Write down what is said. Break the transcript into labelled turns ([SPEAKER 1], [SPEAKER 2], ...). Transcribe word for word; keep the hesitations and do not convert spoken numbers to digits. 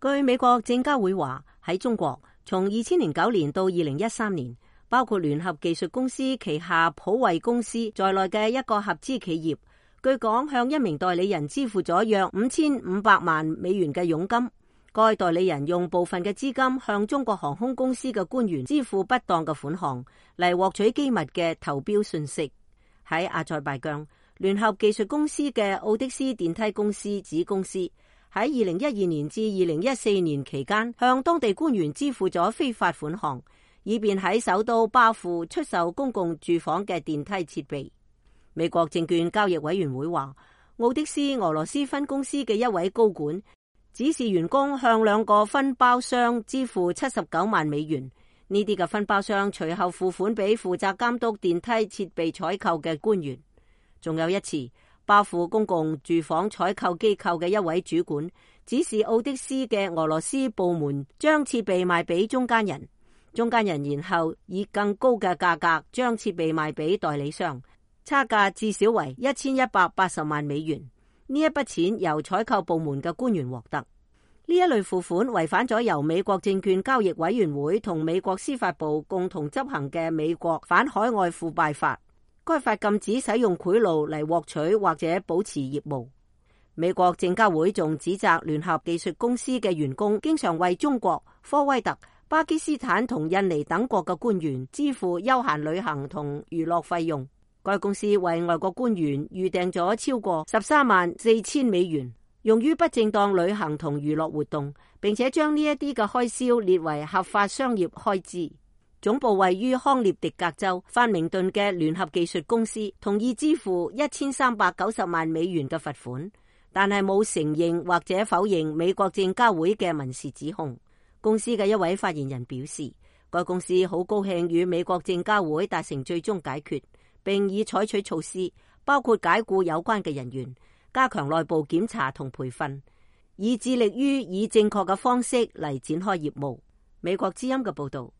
[SPEAKER 1] 據美國證交會話，喺中國從二千零九年到二零一三年，包括聯合技術公司旗下普惠公司在內嘅一個合資企業，據講向一名代理人支付咗約五千五百萬美元嘅佣金。該代理人用部分嘅資金向中國航空公司嘅官員支付不當嘅款項，嚟獲取機密嘅投標信息。喺阿塞拜疆，聯合技術公司嘅奧的斯電梯公司子公司喺二零一二年至二零一四年期間，向當地官員支付咗非法款項，以便喺首都巴庫出售公共住房嘅電梯設備。美國證券交易委員會話，奧的斯俄羅斯分公司嘅一位高管指示員工向兩個分包商支付七十九萬美元，呢啲嘅分包商隨後付款俾負責監督電梯設備採購嘅官員。仲有一次，巴庫公共住房採購機構嘅一位主管指示奧的斯嘅俄羅斯部門將設備賣俾中間人，中間人然後以更高嘅價格將設備賣俾代理商，差價至少為一千一百八十萬美元。呢一筆錢由採購部門嘅官員獲得。呢一類付款違反咗由美國證券交易委員會同美國司法部共同執行嘅美國反海外腐敗法。該法禁止使用賄賂嚟獲取或者保持業務。美國證交會仲指責聯合技術公司嘅員工經常為中國、科威特、巴基斯坦同印尼等國嘅官員支付休閒旅行同娛樂費用。該公司為外國官員預訂咗超過十三萬四千美元，用於不正當旅行同娛樂活動，並且將呢一啲嘅開銷列為合法商業開支。總部位於康涅狄格州法明頓嘅聯合技術公司同意支付一千三百九十萬美元嘅罰款，但係冇承認或者否認美國證交會嘅民事指控。公司嘅一位發言人表示，該公司好高興與美國證交會達成最終解決，並已採取措施，包括解僱有關嘅人員，加強內部檢查同培訓，以致力於以正確嘅方式嚟展開業務。美國之音嘅報道。